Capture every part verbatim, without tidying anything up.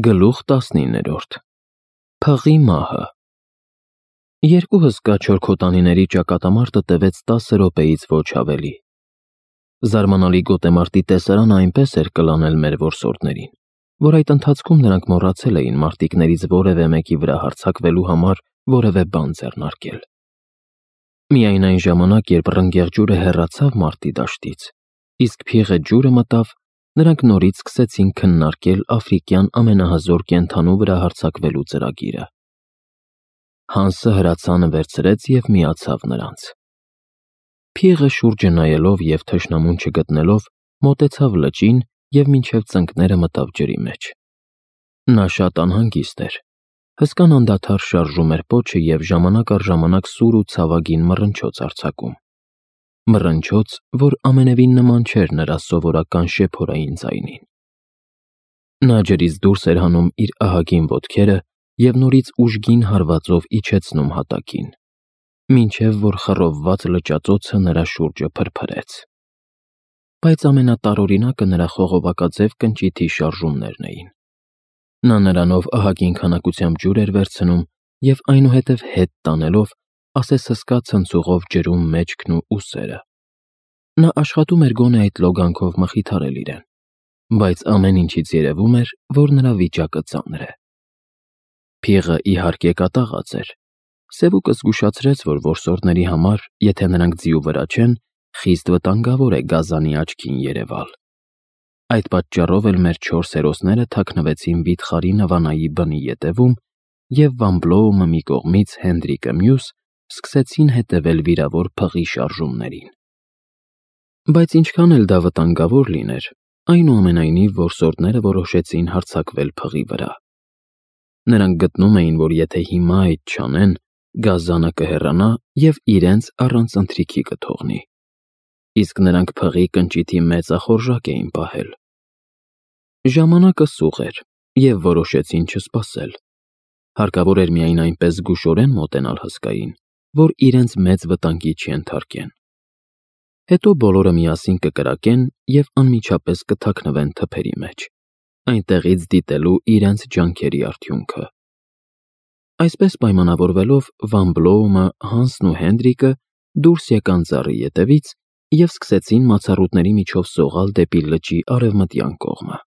Գլուխ տասնիններորդ Փղի մահը Երկու հսկա չոր քոտանիների ճակատամարտը տևեց տասը րոպեից ոչ ավելի։ Զարմանալի գոտեմարտի տեսարանը այնպես էր կլանել մեր որսորդներին, որ այդ ընթացքում նրանք մոռացել էին մարտիկներից որևէ մեկի վրա հարձակվելու համար որևէ բան ձեռնարկել։ Միայն այն ժամանակ, երբ ռնգեղ ջուրը հեռացավ մարտի դաշտից, իսկ փիղը ջուրը մտավ, նրանք նորից սկսեցին քննարկել աֆրիկյան ամենահզոր կենդանու վրա հարձակվելու ծրագիրը։ Հանսը հրացանը վերցրեց և միացավ նրանց։ Փիղը շուրջը նայելով և թշնամուն չգտնելով, մոտեցավ լճին և մինչև ծնկները մտավ ջրի մեջ։ Նա շատ անհանգիստ էր։ Հսկան անդադար շարժում էր պոչը և ժամանակ առ ժամանակ սուր ու ցավագին մռնչոց արձակում։ Մռնչոց, որ ամենևին նման չէր նրա սովորական շեփորային ձայնին։ Նա ջրից դուրս էր հանում իր ահագին ոտքերը և նորից ուժգին հարվածով իջեցնում հատակին, մինչև որ խռովված լճածոցը նրա շուրջը փրփրեց։ Բայց ամենատարօրինակը նրա խողովակաձև կնճիթի շարժումներն էին։ Նա նրանով ահագին քանակությամբ ջուր էր վերցնում և այնուհետև հետ տանելով, ասես հսկա ցնցուղով ջրում մեջքն ու ուսերը։ Նա աշխատում էր գոնե այդ լոգանքով մխիթարել իրեն, բայց ամեն ինչից երևում էր, որ նրա վիճակը ծանր է։ Փիղը, իհարկե, կատաղած էր։ Սևուկը զգուշացրեց, որ որսորդների համար, եթե նրանք ձիու վրա չեն, խիստ վտանգավոր է գազանի աչքին երևալ։ Այդ պատճառով էլ մեր չորս հերոսները թաքնվեցին վիթխարի նվանայի բնի ետևում, և Վան Բլոումը մի կողմից, Հենդրիկը մյուս, սկսեցին հետևել վիրավոր փղի շարժումներին։ Բայց ինչքան էլ դա վտանգավոր լիներ, այնուամենայնիվ որսորդները որոշեցին հարձակվել փղի վրա։ Նրանք գտնում էին, որ եթե հիմա այդ չանեն, գազանը կհեռանա և իրենց առանց ընթրիքի կթողնի։ Իսկ նրանք փղի կնճիթի մեծախորժակ էին պահել։ Ժամանակը սուղ էր, և որոշեցին չսպասել։ Հարկավոր էր միայն այնպես զգուշորեն մոտենալ հսկային, որ իրենց մեծ վտանգի չենթարկեն։ Հետո բոլորը միասին կկրակեն և անմիջապես կթաքնվեն թփերի մեջ, այնտեղից դիտելու իրենց ջանքերի արդյունքը։ Այսպես պայմանավորվելով, Վան Բլոումը, Հանսն ու Հենդրիկը դուրս եկան ծառի ետևից և սկսեցին մացառուտների միջով սողալ դեպի լճի արևմտյան կողմը։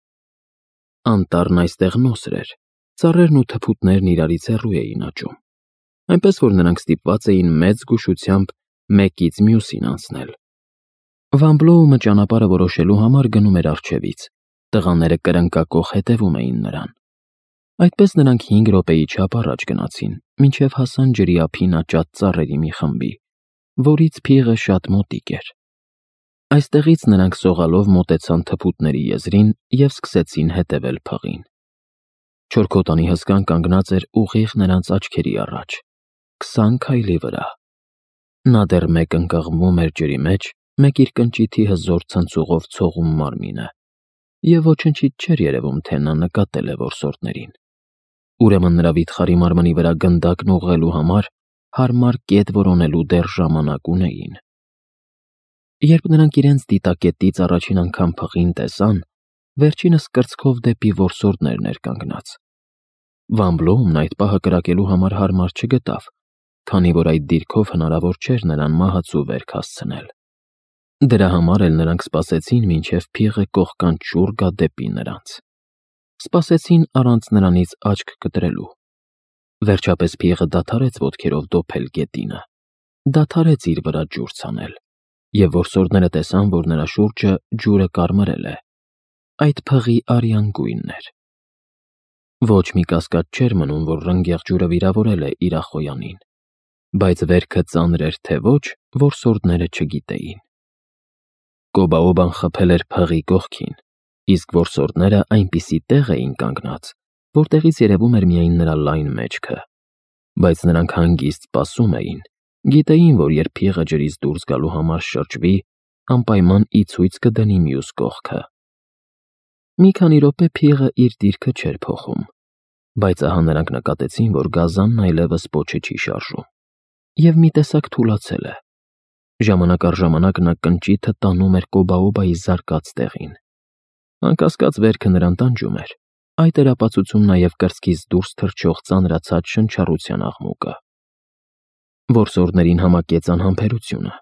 Անտառն այստեղ նոսր էր, ծառերն ու թփուտներն իրարից հեռու էին աճում, այնպես որ նրանք ստիպված էին մեծ զգուշությամբ մեկից մյուսին անցնել։ Վան Բլոումը ճանապարհը որոշելու համար գնում էր առջևից, տղաները կրնկակոխ հետևում էին նրան։ Այդպես նրանք հինգ րոպեի չափ առաջ գնացին, մինչև հասան ջրի ափին աճած ծառերի մի խմբի, որից փիղը շատ մոտիկ էր։ Այստեղից նրանք սողալով մոտեցան թփուտների եզրին և սկսեցին հետևել փղին։ Չոր քոտանի հսկան կանգնած էր ուղիղ նրանց աչքերի առաջ, քսան քայլի վրա։ Նա դեռ մեկ ընկղմում էր ջրի մեջ, մեկ իր կնճիթի հզոր ցնցուղով ցողում մարմինը, և ոչնչից չէր երևում, թե նա նկատել է որսորդներին։ Ուրեմն նրա վիթխարի մարմնի վրա գնդակն ուղղելու համար հարմար կետ որոնելու դեռ ժամանակ ունեին։ Երբ նրանք իրենց դիտակետից առաջին անգամ փղին տեսան, վերջինս կրծքով դեպի որսորդներն էր կանգնած։ Վան Բլոումն այդ պահը կրակելու համար հարմար չգտավ, քանի որ այդ դիրքով հնարավոր չէր նրան մահացու վերք հասցնել։ Դրա համար էլ նրանք սպասեցին, մինչև փիղը կողկանց շուռ գա դեպի նրանց։ Սպասեցին առանց նրանից աչք կտրելու։ Վերջապես փիղը դադարեց ոտքերով դոփել գետինը, դադարեց իր վրա ջուր ցանել, և որսորդները տեսան, որ նրա շուրջը ջուրը կարմրել է։ Այդ փղի արյան գույնն էր։ Ոչ մի կասկած չէր մնում, որ ռնգեղ ջուրը վիրավորել է իրախոյանին, բայց վերքը ծանր էր, թե ոչ, որսորդները չգիտեին։ Կոբաոբան խփել էր փղի կողքին, իսկ որսորդները այնպիսի տեղ էին կանգնած, որտեղից երևում էր միայն նրա լայն մեջքը։ Բայց նրանք հանգիստ սպասում էին, գիտեին, որ երբ փիղը ջրից դուրս գալու համար շրջվի, անպայման ի ցույց կդնի մյուս կողքը։ Մի քանի րոպե փիղը իր դիրքը չէր փոխում, բայց ահա նրանք նկատեցին, որ գազանն այլևս պոչը չի շարժում, և մի տեսակ թուլացել է։ Ժամանակ առ ժամանակ նա կնճիթը տանում էր Կոբաոբայի զարկած տեղին։ Անկասկած վերքը նրան տանջում էր, Այդ էր ապացուցում նաև կրծքից դուրս թռչող ծանրացած շնչառության աղմուկը։ Որսորդներին համակեց անհամբերությունը։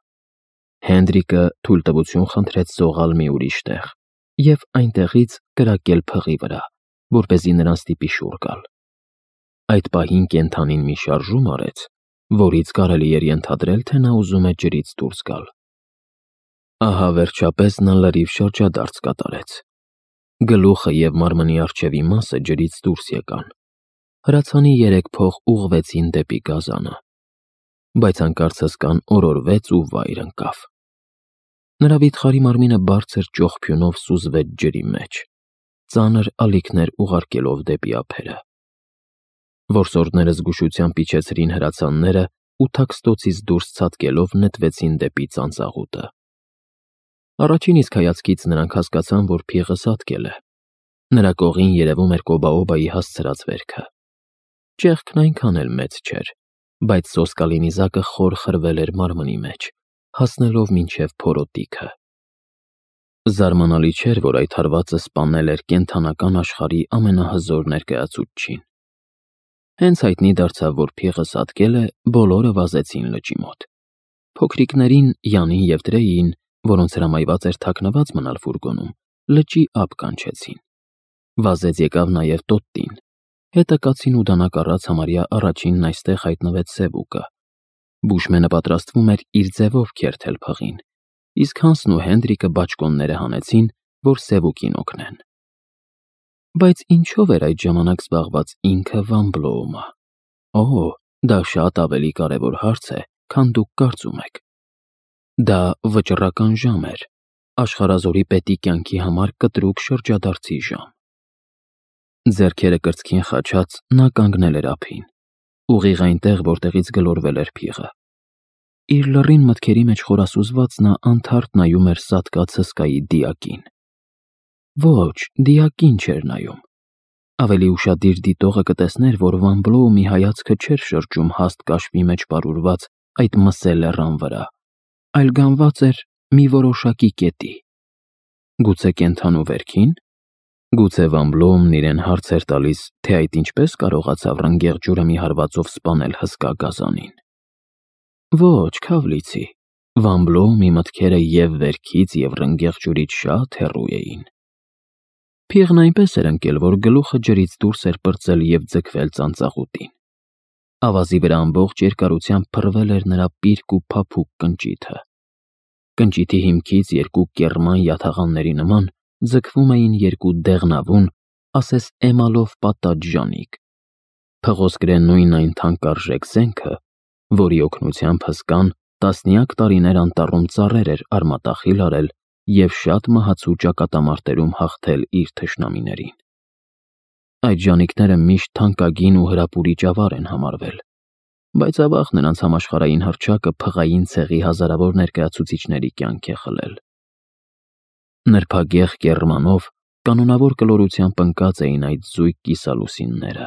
Հենրիկը թույլտվություն խնդրեց զողալ մի ուրիշ տեղ և այնտեղից կրակել փղի վրա, որպեսզի նրան ստիպի շուռ գալ։ Այդ պահին կենդանին մի շարժում արեց, որից կարելի էր ենթադրել, թե նա ուզում է ջրից դուրս գալ։ Ահա վերջապես նա լրիվ շրջադարձ կատարեց։ Գլուխը և մարմնի առջևի մասը ջրից դուրս եկան։ Հրացանի երեք փող ուղղվեցին դեպի գազանը, բայց հանկարծ հսկան օրորվեց ու վայր ընկավ։ Նրա վիթխարի մարմինը բարձր ճողփյունով սուզվեց ջրի մեջ, ծանր ալիքներ ուղարկելով դեպի ափերը։ Որսորդները զգուշությամբ իջեցրին հրացանները ու թաքստոցից դուրս ցատկելով նետվեցին դեպի ծանծաղուտը։ Առաջին իսկ հայացքից նրանք հասկացան, որ փիղը սատկել է։ Նրա կողին երևում էր Կոբաոբայի հասցրած վերքը։ Ճեղքն այնքան էլ մեծ չէր, բայց սոսկալի նիզակը խոր խրվել էր մարմնի մեջ, հասնելով մինչև փորոտիքը։ Զարմանալի չէր, որ այդ հարվածը սպանել էր կենդանական աշխարհի ամենահզոր ներկայացուցչին։ Հենց հայտնի դարձավ, որ փիղը սատկել է, բոլորը վազեցին լճի մոտ։ Փոքրիկներին, Յանին և Տրեյին, որոնց հրամայված էր թաքնված մնալ ֆուրգոնում, լճի ափ կանչեցին։ Վազեց եկավ նաև Տոտտին։ Հետը կացին ու դանակ առած համարյա առաջինն այստեղ հայտնվեց Սևուկը։ Բուշմենը պատրաստվում էր իր ձևով քերթել փղին, իսկ Հանսն ու Հենրիկը բաճկոնները հանեցին, որ Սևուկին օգնեն։ Բայց ինչով էր այդ ժամանակ զբաղված ինքը Վան Բլոումը։ Օ, դա շատ ավելի կարևոր հարց է, քան դուք կարծում եք։ Դա վճռական ժամ էր, աշխարհազորի պետի կյանքի համար կտրուկ շրջադարձի ժամ։ Ձեռքերը կրծքին խաչած նա կանգնել էր ափին, ուղիղ այնտեղ, որտեղից գլորվել էր փիղը։ Իր լռին մտքերի մեջ խորասուզված նա անթարթ նայում էր սատկած հսկայի դիակին։ Ոչ, դիակին չէր նայում։ Ավելի ուշադիր դիտողը կտեսներ, որ Վան Բլոումի հայացքը չէր շրջում հաստ կաշվի մեջ պարուրված այդ մսե լեռան վրա, այլ գանված էր մի որոշակի կետի։ Գուցե կենդանու վերքին։ Գուցե Վան Բլոումն իրեն հարց էր տալիս, թե այդ ինչպես կարողացավ ռնգեղ ջուրը մի հարվածով սպանել հսկա գազանին։ Ոչ, Քավլիցի, Վան Բլոումի մտքերը և վերքից, և ռնգեղ ջուրից շատ հեռու էին։ Փիղն այնպես էր ընկել, որ գլուխը ջրից դուրս էր պրծել և ձգվել ծանծաղուտին։ Ավազի վրա ամբողջ երկարությամբ փռվել էր նրա պիրկ ու փափուկ կնճիթը։ Կնճիթի հիմքից երկու կեռման յաթաղանների նման ձգվում էին երկու դեղնավուն, ասես էմալով պատած ժանիք։ Փղոսկրե նույն այն թանկարժեք զենքը, որի օգնությամբ հսկան տասնյակ տարիներ անտառում ծառեր էր արմատախիլ արել և շատ մահացու ճակատամարտերում հաղթել իր թշնամիներին։ Այդ ժանիքները միշտ թանկագին ու հրապուրիչ ավար են համարվել, բայց ավաղ նրանց համաշխարհային հռչակը փղային ցեղի հազարավոր ներկայացուցիչների կյանք է խլել։ Նրբագեղ կեռմանով կանոնավոր կլորությամբ ընկած էին այդ զույգ կիսալուսինները,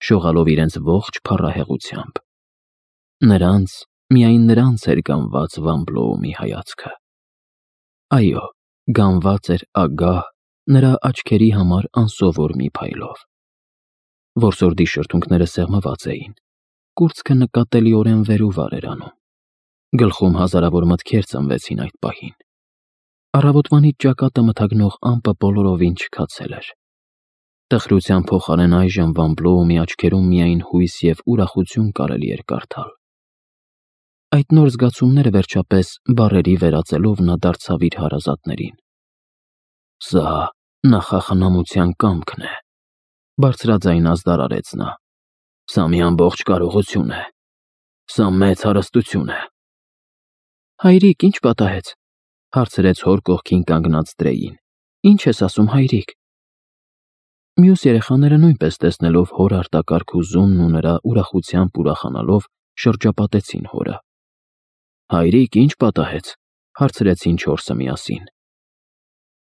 շողալով իրենց ողջ փառահեղությամբ։ Նրանց, միայն նրանց էր գանված Վան Բլոումի հայացքը։ Այո, գանված էր ագահ, նրա աչքերի համար անսովոր մի փայլով։ Որսորդի շրթունքները սեղմված էին, կուրծքը նկատելիորեն վեր ու վար էր անում։ Գլխում հազարավոր մտքեր ծնվեցին այդ պահին։ Առավոտվանից ճակատը մթագնող ամպը բոլորովին չքացել էր։ Տխրության փոխարեն այժմ Վան Բլոումի աչքերում միայն հույս և ուրախություն կարելի էր կարդալ։ Այդ նոր զգացումները վերջապես բառերի վերածելով նա դարձավ իր հարազատներին։ Սա նախախնամության կամքն է, բարձրաձայն ազդարարեց նա։ Սա մի ամբողջ կարողություն է։ Սա մեծ հարստություն է։ Հայրիկ, ինչ պատահեց, հարցրեց հոր կողքին կանգնած Տրեյին։ Ինչ ես ասում, հայրիկ։ Մյուս երեխաները նույնպես տեսնելով հոր արտակարգ հուզումն ու նրա ուրախությամբ ուրախանալով շրջապատեցին հորը։ Հայրիկ, ինչ պատահեց, հարցրեցին չորսը միասին։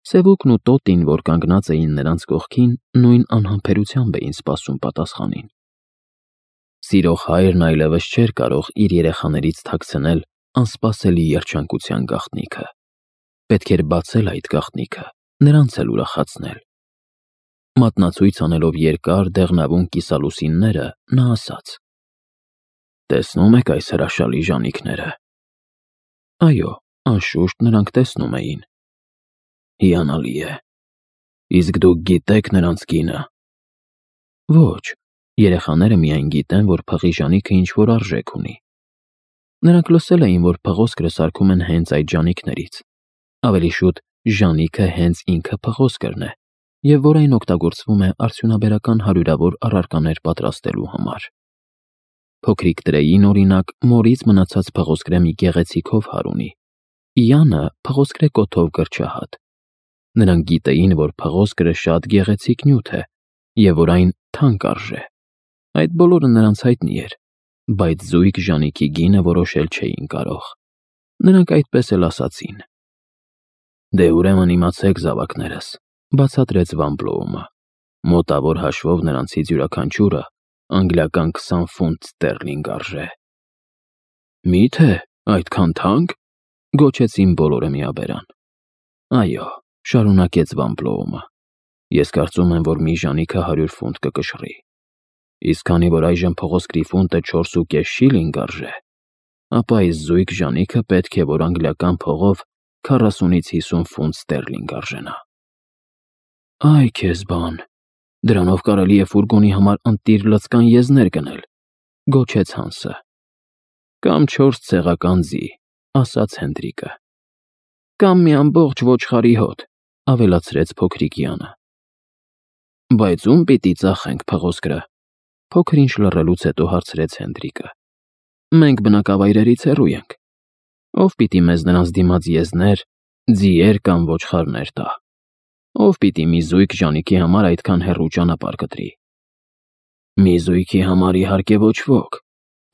Սևուկն ու Տոտին, որ կանգնած էին նրանց կողքին, նույն անհամբերությամբ էին սպասում պատասխանին։ Սիրող հայրն այլևս չէր կարող իր երեխաներից թաքցնել անսպասելի երջանկության գաղտնիքը։ Պետք էր բացել այդ գաղտնիքը, նրանց էլ ուրախացնել։ Մատնացույց անելով երկար դեղնավուն կիսալուսինները, նա ասաց. «Տեսնում եք այս հրաշալի ժանիքները»։ Այո, անշուշտ նրանք տեսնում էին։ «Հիանալի է։ Իսկ դուք գիտե՞ք նրանց գինը»։ Ոչ, երեխաները միայն գիտեն, որ փղի ժանիքը ինչ-որ արժեք ունի։ Նրանք լսել էին, որ փղոսկրը սարքում են հենց այդ ժանիքներից, ավելի շուտ ժանիքը հենց ինքը փղոսկրն է, և որ այն օգտագործվում է արդյունաբերական հարյուրավոր առարկաներ պատրաստելու համար։ Փոքրիկ Տրեյին, օրինակ, մորից մնացած փղոսկրե մի գեղեցիկ հովհար ունի, Իանը փղոսկրե կոթով գրչահատ։ Նրանք գիտեին, որ փղոսկրը շատ գեղեցիկ նյութ է, և որ այն թանկ արժե։ Այդ բոլորը նրանց հայտնի էր, բայց զույգ ժանիքի գինը որոշել չէին կարող։ Նրանք այդպես էլ ասացին։ «Դե ուրեմն իմացեք, զավակներս», բացատրեց Վան Բլոումը, «մոտավոր հաշվով նրանցից յուրաքանչյուրը անգլիական քսան ֆունտ ստերլինգ արժե»։ «Մի՞թե այդքան թանկ», գոչեցին բոլորը միաբերան։ «Այո», շարունակեց Վան Բլոումը, «ես կարծում եմ, որ մի ժանիքը հարյուր ֆունտ կկշռի, իսկ քանի որ այժմ փղոսկրի ֆունտը չորս ու կես շիլինգ արժե, ապա այս զույգ ժանիքը պետք է որ անգլիական փողով քառասունից հիսուն ֆունտ ստերլինգ արժենա»։ «Այ քեզ բան, դրանով կարելի է ֆուրգոնի համար ընտիր լցկան եզներ գնել», գոչեց Հանսը։ «Կամ չորս ցեղական ձի», ասաց Հենդրիկը։ «Կամ մի ամբողջ ոչխարի հոտ», ավելացրեց փոքրիկ Յանը։ «Բայց ում պիտի ծախենք փղոսկրը», փոքր-ինչ լռելուց հետո հարցրեց Հենդրիկը։ «Մենք բնակավայրերից հեռու ենք։ Ո՞վ պիտի մեզ նրանց դիմաց եզներ, ձիեր կամ ոչխարներ տա։ Ո՞վ պիտի մի զույգ ժանիքի համար այդքան հեռու ճանապարհ կտրի»։ «Մի զույգի համար իհարկե ոչ ոք»,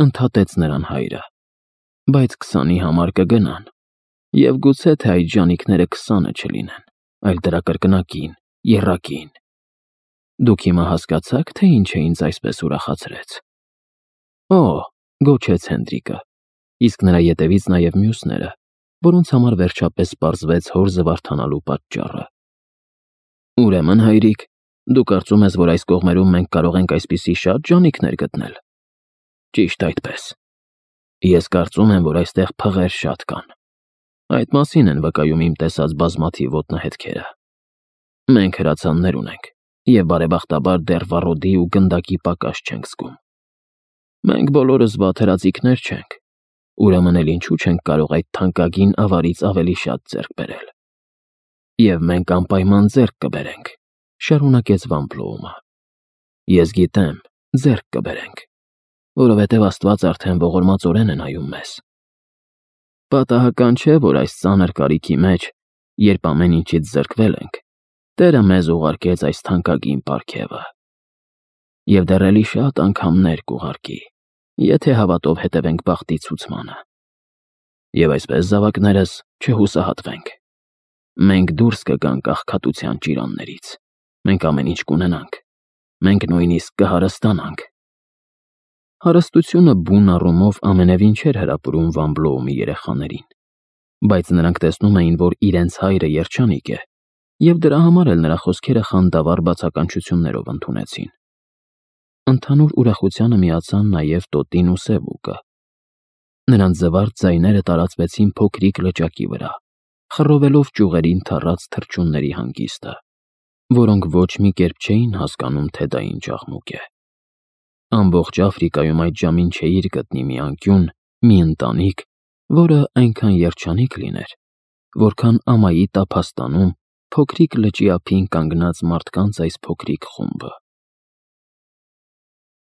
ընդհատեց նրան հայրը, «բայց քսանի համար կգնան, և գուցե թե այդ ժանիքները քսանը չլինեն, այլ դրա կրկնակին, եռակին։ Դուք հիմա հասկացա՞ք, թե ինչ է ինձ այսպես ուրախացրեց»։ «Օ», գոչեց Հենդրիկը, իսկ նրա ետևից նաև մյուսները, որոնց համար վերջապես պարզվեց հոր զվարթանալու պատճառը։ «Ուրեմն, հայրիկ, դու կարծում ես, որ այս կողմերում մենք կարող ենք այսպիսի շատ ժանիքներ գտնել»։ «Ճիշտ այդպես։ Ես կարծում եմ, որ այստեղ փղեր շատ կան։ Այդ մասին են վկայում իմ տեսած բազմաթիվ ոտնահետքերը։ Մենք հրացաններ ունենք, և բարեբախտաբար դեռ վառոդի ու գնդակի պակաս չենք զգում։ Մենք բոլորս վատ հրացիկներ չենք, ուրեմն էլ ինչու չենք կարող այդ թանկագին ավարից ավելի շատ ձեռք բերել։ Եվ մենք անպայման ձեռք կբերենք», շարունակեց Վան Բլոումը։ «Ես գիտեմ, ձեռք կբերենք, որովհետև Աստված արդեն ողորմածորեն է նայում մեզ։ Պատահական չէ, որ այս ծանր կարիքի մեջ, երբ ամեն ինչից զրկվել ենք, Տերը մեզ ուղարկեց այս թանկագին պարգևը։ Եվ դեռ էլի շատ անգամներ կուղարկի, եթե հավատով հետևենք բախտի ցուցմանը։ Եվ այսպես, զավակներս, չհուսահատվենք։ Մենք դուրս կգանք աղքատության ճիրաններից, մենք ամեն ինչ կունենանք, մենք նույնիսկ կհարստանանք։ Հարստությունը բուն առումով ամենևին չէր հրապուրում Վան Բլոումի երեխաներին, բայց նրանք տեսնում էին, որ իրենց հայրը երջանիկ է, և դրա համար էլ նրա խոսքերը խանդավառ բացականչություններով ընդունեցին։ Ընդհանուր ուրախությանը միացան նաև Տոտին ու Սևուկը։ Նրանց զվարթ ձայները տարածվեցին փոքրիկ լճակի վրա, խռովելով ճյուղերին թառած թռչունների հանգիստը, որոնք ոչ մի կերպ չէին հասկանում, թե դա ինչ աղմուկ է։ Ամբողջ Աֆրիկայում այդ ժամին չէիր գտնի մի անկյուն, մի ընտանիք, որը այնքան երջանիկ լիներ, որքան ամայի տափաստանում փոքրիկ լճի ափին կանգնած մարդկանց այս փոքրիկ խումբը։